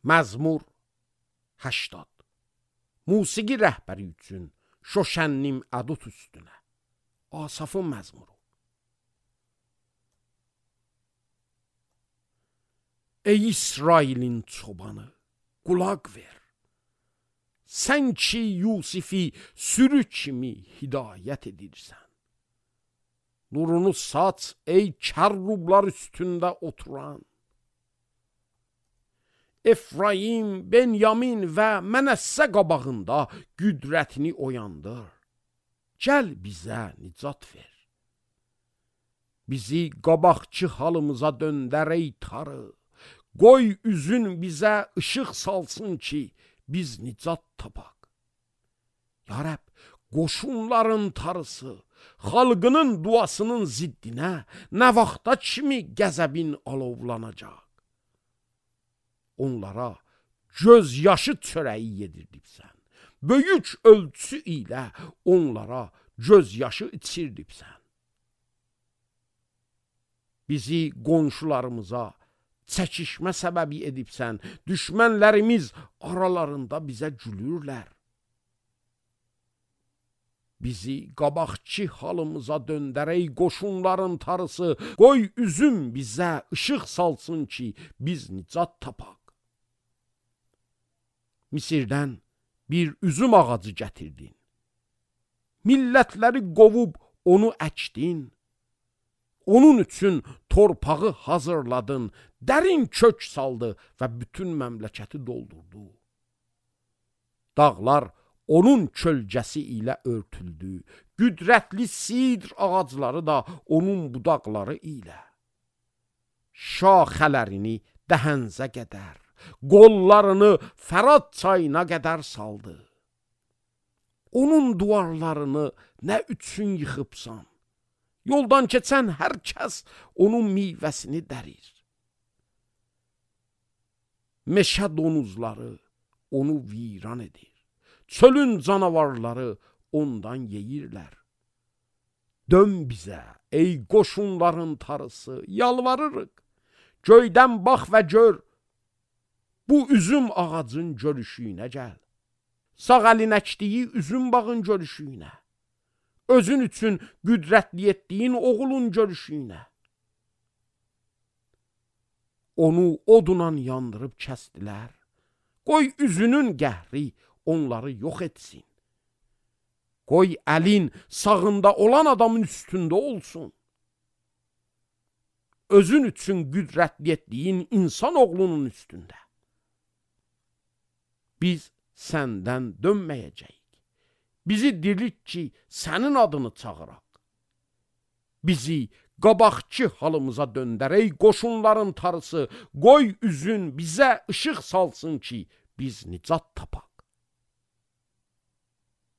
Məzmur 80. Musiqi rəhbəri üçün şoşənnim ədut üstünə. Asafın məzmuru. Ey İsrailin çobanı, qulaq ver. Sən ki Yusifi sürü kimi hidayət edirsən. Nurunu saç ey kərrublar üstündə oturan. Efraim, Benyamin və Mənəssə qabağında qüdrətini oyandır. Gəl bizə nicat ver. Bizi qabaqçı halımıza döndər ey tarı. Qoy üzün bizə ışıq salsın ki, biz nicat tapaq. Ya Rəbb, qoşunların tarısı, xalqının duasının ziddinə nə vaxta kimi qəzəbin alovlanacaq? Onlara göz yaşı çörəyi yedirdibsən. Böyük ölçü ilə onlara göz yaşı içirdibsən. Bizi qonşularımıza çəkişmə səbəbi edibsən. Düşmənlərimiz aralarında bizə gülürlər. Bizi qabaqçı halımıza döndər ey qoşunların tarısı. Qoy üzüm bizə ışıq salsın ki, biz nicat tapaq. Misirdən bir üzüm ağacı gətirdin. Millətləri qovub onu əkdin. Onun üçün torpağı hazırladın, dərin kök saldı və bütün məmləkəti doldurdu. Dağlar onun kölgəsi ilə örtüldü, qüdrətli sidr ağacları da onun budaqları ilə. Şaxələrini dəhənzə qədər, qollarını Fərat çayına qədər saldı. Onun duvarlarını nə üçün yıxıbsan? Yoldan keçən hər kəs onun meyvəsini dərir. Meşə donuzları onu viran edir. Çölün canavarları ondan yeyirlər. Dön bizə, ey qoşunların tarısı, yalvarırıq. Göydən bax və gör, bu üzüm ağacın görüşüyünə gəl. Sağ əlin əkdiyi üzüm bağın görüşüyünə. Özün üçün qüdrətli etdiyin oğulun görüşüyünə. Onu odunla yandırıb kəsdilər. Qoy üzünün qəhri onları yox etsin. Qoy əlin sağında olan adamın üstündə olsun. Özün üçün qüdrətli etdiyin insan oğlunun üstündə. Biz səndən dönməyəcəyik. Bizi dirilt ki, sənin adını çağıraq. Bizi qabaqçı halımıza döndər ey qoşunların tarısı. Qoy üzün bizə ışıq salsın ki, biz nicat tapaq.